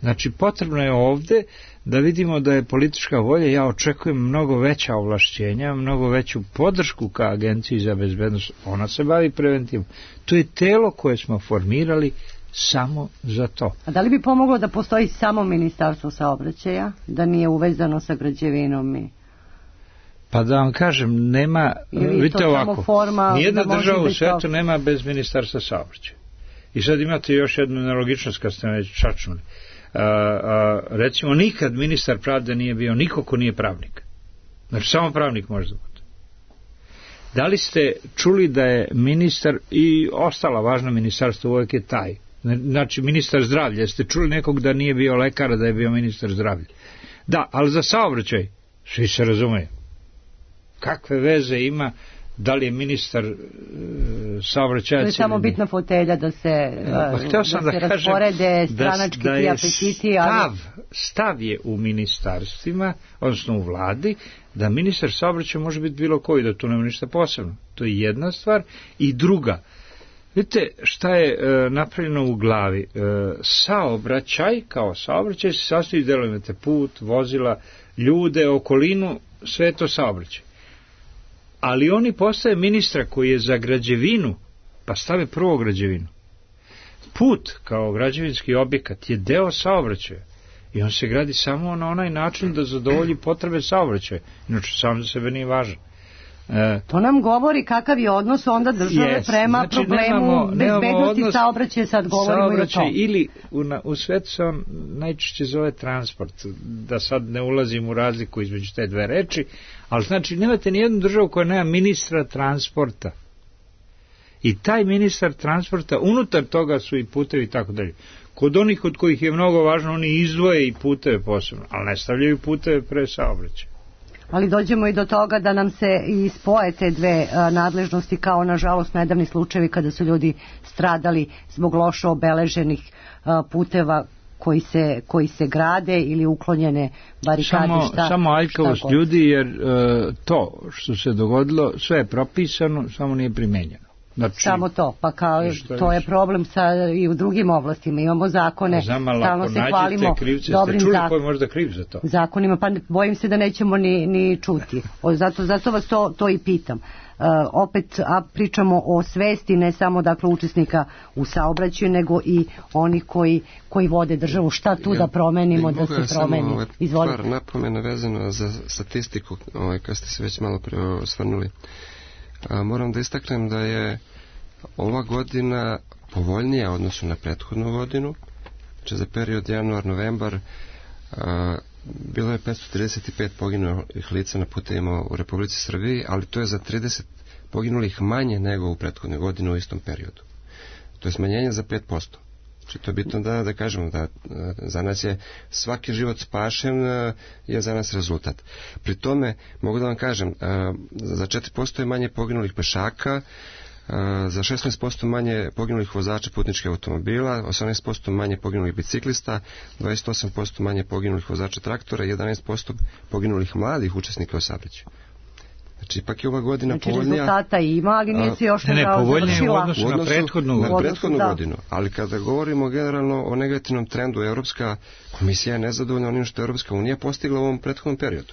Speaker 5: Znači, potrebno je ovde da vidimo da je politička volja, ja očekujem mnogo veća ovlašćenja, mnogo veću podršku ka Agenciji za bezbednost, ona se bavi preventivom. To je telo koje smo formirali samo za to.
Speaker 3: A da li bi pomoglo da postoji samo Ministarstvo saobraćaja, da nije uvezano sa građevinom i...
Speaker 5: Pa da vam kažem, nema, vidite ovako, nijedna država u svetu nema bez Ministarstva saobraćaja. I sad imate još jednu nelogičnost kad ste već čačnuli. Recimo, nikad ministar pravde nije bio niko ko nije pravnik. Znači, samo pravnik može da bude. Da li ste čuli da je ministar i ostala važna ministarstva uvijek je taj? Znači, ministar zdravlja. Jeste čuli nekog da nije bio lekar, da je bio ministar zdravlja? Da, ali za saobraćaj svi se razumeju. Kakve veze ima da li je ministar saobraćaja? To
Speaker 3: je samo bitna fotelja da se rasporede stranački ti apetiti.
Speaker 5: Stav je u ministarstvima, odnosno u vladi, da ministar saobraćaja može biti bilo koji, da tu nema ništa posebno. To je jedna stvar. I druga, vidite šta je napravljeno u glavi. Saobraćaj, kao saobraćaj, se sastoji iz delova, imate put, vozila, ljude, okolinu, sve to saobraćaj. Ali oni postave ministra koji je za građevinu, pa stave prvo građevinu. Put kao građevinski objekat je deo saobraćaja i on se gradi samo na onaj način da zadovolji potrebe saobraćaja, inače sam za sebe nije važan.
Speaker 3: To nam govori kakav je odnos onda države prema problemu bezbednosti saobraćaja, sad govorimo i o tom.
Speaker 5: Ili u svetu se on najčešće zove transport, da sad ne ulazim u razliku između te dve reči, ali znači nemate nijednu državu koja nema ministra transporta. I taj ministar transporta, unutar toga su i putevi i tako dalje. Kod onih od kojih je mnogo važno, oni izdvoje i puteve posebno, ali ne stavljaju puteve pre saobraćaja.
Speaker 3: Ali dođemo i do toga da nam se i spoje te dve nadležnosti, kao nažalost nedavni slučajevi kada su ljudi stradali zbog loše obeleženih puteva koji se grade ili uklonjene barikade.
Speaker 5: Samo aljkavost ljudi, jer to što se dogodilo sve je propisano, samo nije primenjeno. Znači,
Speaker 3: samo to, pa kao to je
Speaker 5: više.
Speaker 3: problem i u drugim oblastima, imamo zakone, stalno se hvalimo dobrim
Speaker 5: možda kriv za to.
Speaker 3: Zakonima, pa bojim se da nećemo ni čuti. Zato vas to i pitam. Opet pričamo o svesti ne samo dakle učesnika u saobraćaju, nego i onih koji vode državu. Šta tu da promenimo, da se promeni?
Speaker 4: Izvolite. Par napomena vezano za statistiku, kad ste se već malo pre osvrnuli. Moram da istaknem da je ova godina povoljnija u odnosu na prethodnu godinu. Znači za period januar-novembar bilo je 535 poginulih lica na putevima u Republici Srbiji, ali to je za 30 poginulih manje nego u prethodnoj godini u istom periodu. To je smanjenje za 5%. Znači to je bitno da kažemo da za nas je svaki život spašen, je za nas rezultat. Pri tome mogu da vam kažem, za 4% je manje poginulih pešaka, za 16% manje poginulih vozača putničkih automobila, 18% manje poginulih biciklista, 28% manje poginulih vozača traktora i 11% poginulih mladih učesnika u saobraćaju. Znači, ipak je ova godina povoljnija.
Speaker 3: Rezultata ima, ali nije se još
Speaker 5: završila. U odnosu
Speaker 4: na prethodnu godinu. Ali kada govorimo generalno o negativnom trendu, Europska komisija je nezadovoljna onim što je Europska unija postigla u ovom prethodnom periodu.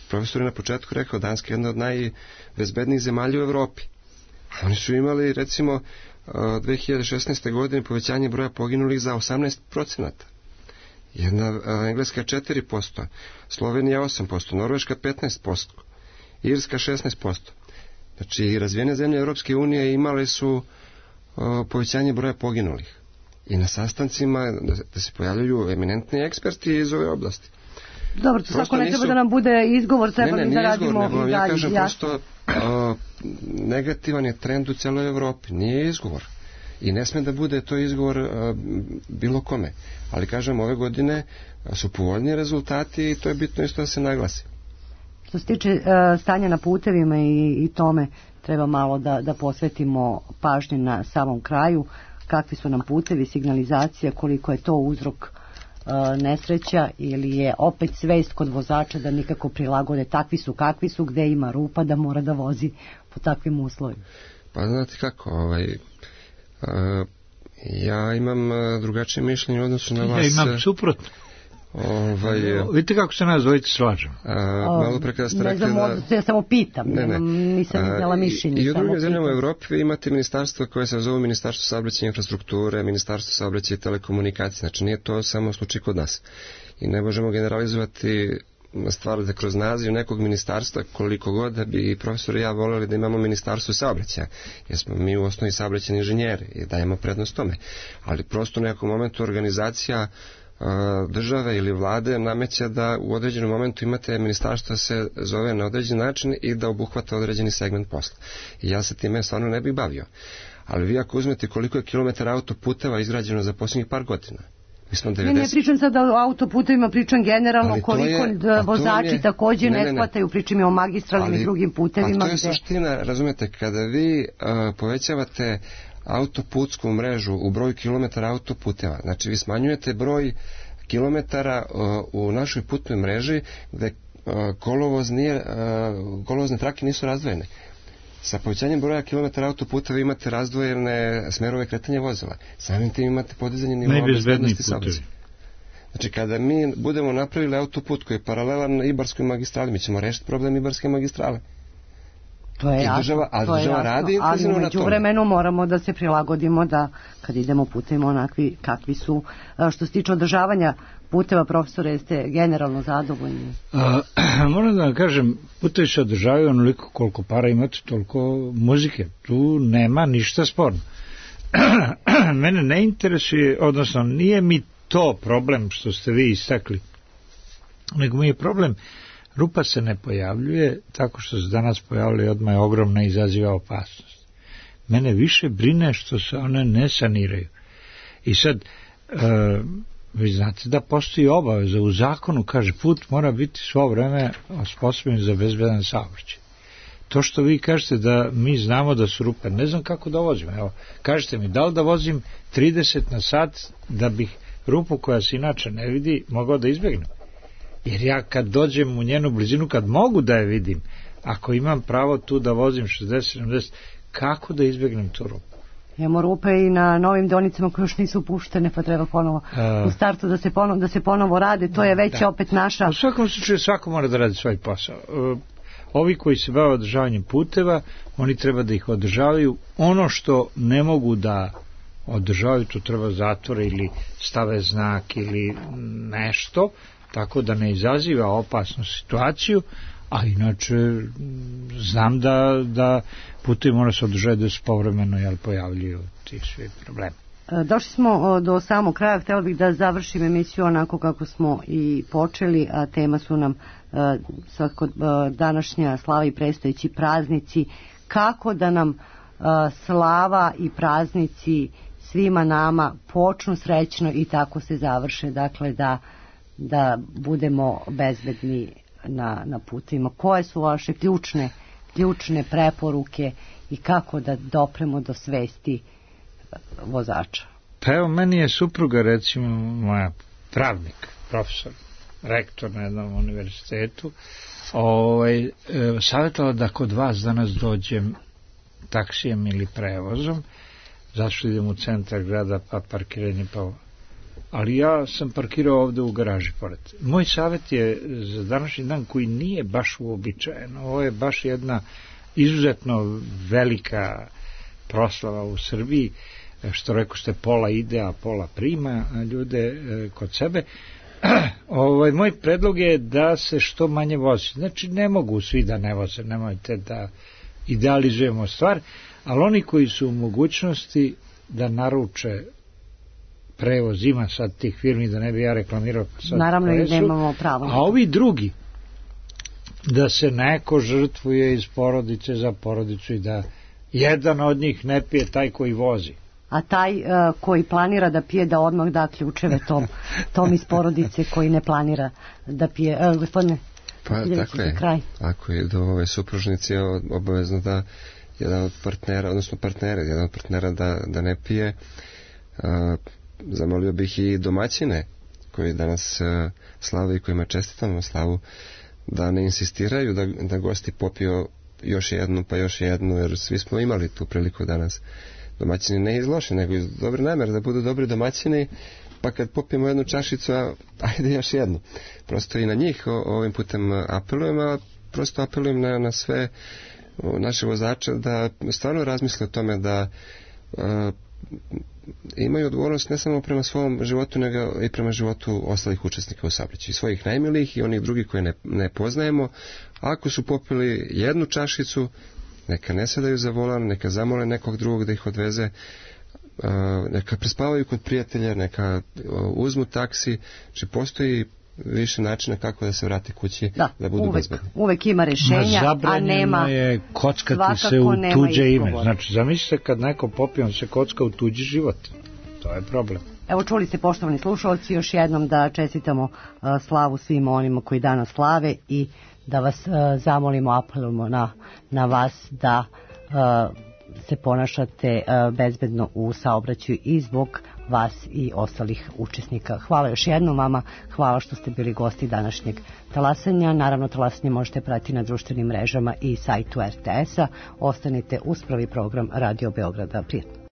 Speaker 4: Profesor je na početku rekao, Danska je jedna od najbezbednijih zemalja u Evropi. Oni su imali, recimo, 2016. godine povećanje broja poginulih za 18%. Jedna Engleska 4%, Slovenija 8%, Norveška 15%, Irska 16%. Znači, razvijene zemlje Europske unije imale su povećanje broja poginulih. I na sastancima da se pojavljaju eminentni eksperti iz ove oblasti.
Speaker 3: Dobro, to svako ne treba da nam bude izgovor, treba da radimo
Speaker 4: izgovor, ja kažem prosto negativan je trend u celoj Evropi, nije izgovor. I ne sme da bude to izgovor bilo kome. Ali kažem, ove godine su povoljni rezultati i to je bitno isto da se naglasi.
Speaker 3: Što se tiče stanja na putevima i tome, treba malo da posvetimo pažnje na samom kraju, kakvi su nam putevi, signalizacija, koliko je to uzrok nesreća ili je opet svest kod vozača da nikako prilagode, takvi su kakvi su, gde ima rupa da mora da vozi po takvim uslovima.
Speaker 4: Pa znate kako, ja imam drugačije mišljenje u odnosu na vas.
Speaker 5: Ja imam suprotno. Vidite kako se nas dvojice slažemo.
Speaker 4: Malo pre kada ste rekli da...
Speaker 3: Ja samo pitam, nisam iznala mišljenje.
Speaker 4: I u drugim zemljama u Evropi vi imate ministarstva koje se zovu Ministarstvo saobraćaja i infrastrukture, Ministarstvo saobraćaja i telekomunikacije. Znači nije to samo slučaj kod nas. I ne možemo generalizovati stvar da kroz naziv nekog ministarstva, koliko god da bi profesor i ja voleli da imamo ministarstvo saobraćaja, jer smo mi u osnovi saobraćajni inženjeri i dajemo prednost tome. Ali prosto u nekom momentu organizacija države ili vlade nameće da u određenom momentu imate ministarstvo se zove na određen način i da obuhvata određeni segment posla. I ja se time stvarno ne bih bavio. Ali vi ako uzmete koliko je kilometara autoputeva izgrađeno za posljednjih par godina, mi smo 90...
Speaker 3: Ne pričam sad o autoputevima, pričam generalno koliko vozači također ne shvataju, pričam i o magistralnim i drugim putevima.
Speaker 4: Ali to je suština, razumete, kada vi povećavate autoputsku mrežu u broj kilometara autoputeva. Znači vi smanjujete broj kilometara u našoj putnoj mreži gde kolovozne trake nisu razdvojene. Sa povećanjem broja kilometara autoputeva imate razdvojene smerove kretanja vozila. Samim tim imate podizanje nivoa bezbednosti saobraćaja. Znači kada mi budemo napravili autoput koji je paralelan Ibarskoj magistrali, mi ćemo rešiti problem Ibarske magistrale.
Speaker 3: To je jasno,
Speaker 4: radi
Speaker 3: ali u međuvremenu moramo da se prilagodimo da kad idemo putevima onakvi kakvi su. Što se tiče održavanja puteva, profesore, jeste generalno zadovoljni?
Speaker 5: Moram da vam kažem, putevi se održavaju onoliko koliko para imate, toliko muzike. Tu nema ništa sporno. Mene ne interesuje, odnosno nije mi to problem što ste vi istakli, nego mi je problem rupa se ne pojavljuje tako što se danas pojavljuje, odmah je ogromna i izaziva opasnost. Mene više brine što se one ne saniraju. I sad, vi znate da postoji obaveza u zakonu, kaže put mora biti svo vreme osposobljen za bezbedan saobraćaj. To što vi kažete da mi znamo da su rupe, ne znam kako da vozim. Evo, kažete mi, da li da vozim 30 na sat da bih rupu koja se inače ne vidi mogao da izbjegnem? Jer ja kad dođem u njenu blizinu, kad mogu da je vidim, ako imam pravo tu da vozim 60-70, kako da izbjegnem tu rupu.
Speaker 3: Imamo rupe i na novim deonicama koje još nisu puštene, pa treba ponovo u startu da se ponovo rade, to je već opet naša...
Speaker 5: U svakom slučaju svako mora da radi svoj posao. Ovi koji se bave održavanjem puteva, oni treba da ih održavaju. Ono što ne mogu da održavaju, to treba zatvore ili stave znak ili nešto, tako da ne izaziva opasnu situaciju, a inače znam da putevi mora se održati da se povremeno pojavljuju ti svi problemi.
Speaker 3: Došli smo do samog kraja, htjela bih da završim emisiju onako kako smo i počeli, a tema su nam svako današnja slava i predstojeći praznici. Kako da nam slava i praznici svima nama počnu srećno i tako se završe, dakle da budemo bezbedni na putovima. Koje su vaše ključne preporuke i kako da dopremo do svesti vozača?
Speaker 5: Pa evo, meni je supruga, recimo, moja pravnik, profesor, rektor na jednom univerzitetu, savjetovala da kod vas danas dođem taksijem ili prevozom, zašto idem u centar grada, pa parkiranje, ali ja sam parkirao ovde u garaži pored. Moj savjet je za današnji dan koji nije baš uobičajen. Ovo je baš jedna izuzetno velika proslava u Srbiji, što rekao ste, pola ide, a pola prima ljude kod sebe. Moj predlog je da se što manje vozi. Znači, ne mogu svi da ne voze, nemojte da idealizujemo stvar, ali oni koji su u mogućnosti da naruče prevoz, ima sad tih firmi, da ne bi ja reklamirao sad.
Speaker 3: Naravno i nemamo pravo.
Speaker 5: A ovi drugi, da se neko žrtvuje iz porodice za porodicu i da jedan od njih ne pije, taj koji vozi.
Speaker 3: A taj koji planira da pije, da odmah da ključeve tom iz porodice koji ne planira da pije. Gospodine,
Speaker 4: pa tako je. Ako je do ove supružnice obavezno da jedan od partnera, odnosno jedan od partnera da ne pije. Zamolio bih i domaćine koji danas slave i kojima čestitamo slavu, da ne insistiraju da gosti popiju još jednu pa još jednu, jer svi smo imali tu priliku danas. Domaćini ne iz loše, nego iz dobre namere, da budu dobri domaćini, pa kad popijemo jednu čašicu, ajde još jednu. Prosto i na njih ovim putem apelujem, a prosto apelujem na sve naše vozače da stvarno razmisle o tome da imaju odgovornost ne samo prema svom životu, nego i prema životu ostalih učesnika u saobraćaju, svojih najmilijih i onih drugih koje ne poznajemo. Ako su popili jednu čašicu, neka ne sedaju za volan, neka zamole nekog drugog da ih odveze, neka prespavaju kod prijatelja, neka uzmu taksi. Znači, postoji više načina kako da se vrate kući, da budu bezbedni.
Speaker 3: Uvek ima rešenja, a nema...
Speaker 5: Zabranjeno je kockati se u tuđe ime. Znači, zamislite kad neko popije, on se kocka u tuđi život. To je problem.
Speaker 3: Evo, čuli ste, poštovani slušalci, još jednom da čestitamo slavu svim onima koji danas slave i da vas zamolimo, apelujemo na vas da se ponašate bezbedno u saobraćaju i zbog vas i ostalih učesnika. Hvala još jednom vama, hvala što ste bili gosti današnjeg talasanja. Naravno, talasanje možete pratiti na društvenim mrežama i sajtu RTS-a. Ostanite uz prvi program Radio Beograda. Prijatno.